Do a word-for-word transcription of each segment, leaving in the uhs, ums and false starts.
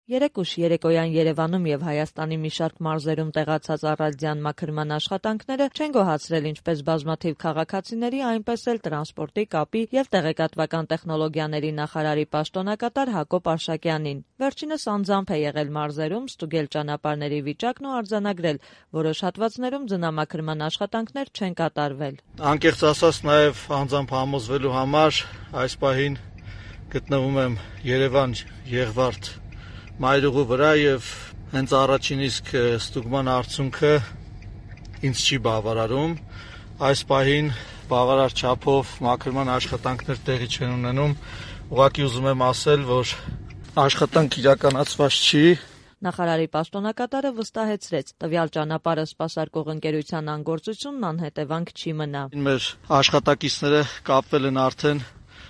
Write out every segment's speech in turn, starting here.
Երեկ ուշ երեկոյան Երևանում եւ Հայաստանի մի շարք մարզերում տեղացած առարդյան մաքրման աշխատանքները չեն գոհացրել ինչպես բազմաթիվ քաղաքացիների, այնպես էլ տրանսպորտի, կապի եւ տեղեկատվական տեխնոլոգիաների նախարարի պաշտոնակատար Հակոբ Արշակյանին։ Վերջինս անձամբ է եղել մարզերում, ստուգել ճանապարհների վիճակն ու արձանագրել, որոշ հատվածներում ձնամաքրման աշխատանքներ չեն կատարվել։ Անկեղծ ասած, նաեւ անձամբ համոզվելու համար այս պահին գտնվում եմ Երևան Եղվարդ մայրուղու վրա եւ հենց առաջին իսկ ստուգման արդյունքը ինձ չի բավարարում։ Այս պահին բավարար չափով մաքրման աշխատանքներ տեղի չեն ունենում։ Ուղղակի ուզում եմ ասել, որ աշխատանք իրականացված չի։ Նախարարի պաշտոնակատարը վստահեցրեց, տվյալ ճանապարհը սպասարկող ընկերության անգործությունն անհետևանք չի մնա։ Մեր աշխատակիցները կապվել են արդեն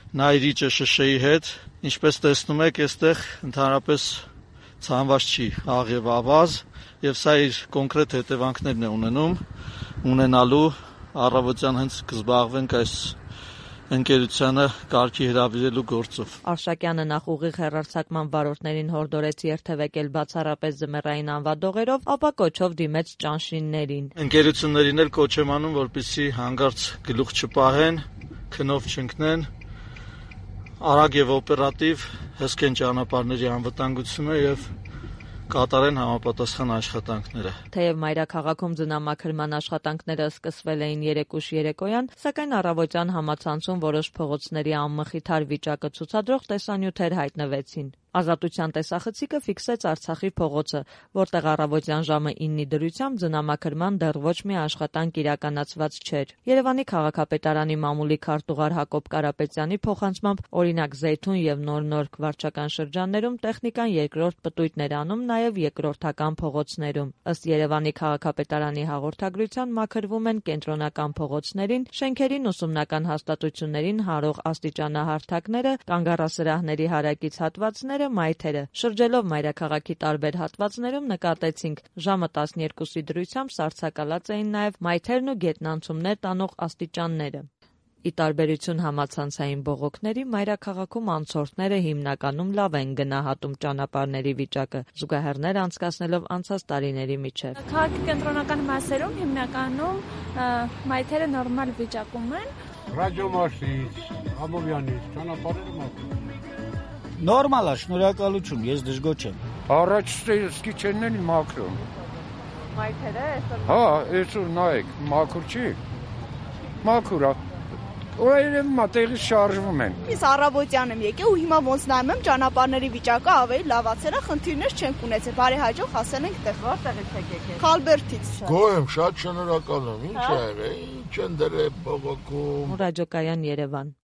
Նայիրի ՃՇՇ-ի հետ, ինչպես տեսնում եք, այստեղ ընդհանրապես ցանված չի աղ եւ ավազ, եւ սա իր կոնկրետ հետևանքներն է ունենում, ունենալու առավոտյան հենց կզբաղվենք այս ընկերությանը կարգի հրավիրելու գործով։ Արշակյանը նախ ուղիղ հեռարձակման վարորդներին հորդորեց երթևեկել բացառապես ձմեռային անվադողերով, ապա կոչով դիմեց ճանշիններին։ Ընկերություններին էլ կոչ եմ անում, որպեսզի հանկարծ գլուխ չպահեն, քնով չընկնեն, արագ եւ օպերատիվ հսկեն ճանապարհների անվտանգությունը եւ կատարեն համապատասխան աշխատանքները։ Թեև մայրաքաղաքում ձնամաքրման աշխատանքները սկսվել էին երեկ ուշ երեկոյան, սակայն առավոտյան համացանցում որոշ փողոցների անմխիթար վիճակը ցուցադրող տեսանյութեր հայտնվեցին։ Ազատության տեսախցիկը ֆիքսեց Արցախի փողոցը, որտեղ առավոտյան ժամը իննի դրությամբ ձնամաքրման դեռ ոչ մի աշխատանք իրականացված չէր։ Երևանի քաղաքապետարանի մամուլի քարտուղար Հակոբ Կարապետյանի փոխանցմամբ, օրինակ Զեյթուն եւ Նոր-Նորք վարչական շրջաններում տեխնիկան երկրորդ պտույտներ անում նաեւ երկրորդական փողոցներում։ Ըստ Երևանի քաղաքապետարանի հաղորդագրության մաքրվում են կենտրոնական փողոցներին, շենքերին, ուսումնական հաստատություններին հարող աստիճանահարթակները, կանգառասրահների հարակից հատվածները, մայթերը։ Շրջելով մայրաքաղաքի տարբեր հատվածներում նկատեցինք ժամը տասներկուսի դրությամբ սառցակալած էին նաև մայթերն ու գետնանցումներ տանող աստիճանները։ Ի տարբերություն համացանցային բողոքների, մայրաքաղաքում անցորդները հիմնականում լավ են գնահատում ճանապարհների վիճակը, զուգահեռներ անցկացնելով անցած տարիների միջև։ Քաղաքի կենտրոնական մասերում հիմնականում մայթերը նորմալ վիճակում են։ Ռադիոմասից, Ամովյանից, ճանապարհները մաքրում։ Նորմալ է, շնորհակալություն, ես դժգոհ չեմ։ Առաջ սկի չեն են մաքրում։ Մայթերը այսօր։ Հա, այսօր նայեք, մաքուր չի։ Մաքուր է։ Օրերին մատեղի շարժվում են։ Ես առավոտյան եմ եկել ու հիմա ոնց նայում եմ ճանապարհների վիճակը ավելի լավացել է, խնդիրներ չենք ունեցել։ Բարեհաջող հասել ենք տեղ։ Որտեղից եք եկել։ Խալբերտից։ Գոհ եմ, շատ շնորհակալ եմ։ Ինչ է, ինչ են դրել բողոքում։ Ռադիոկայան Երևան։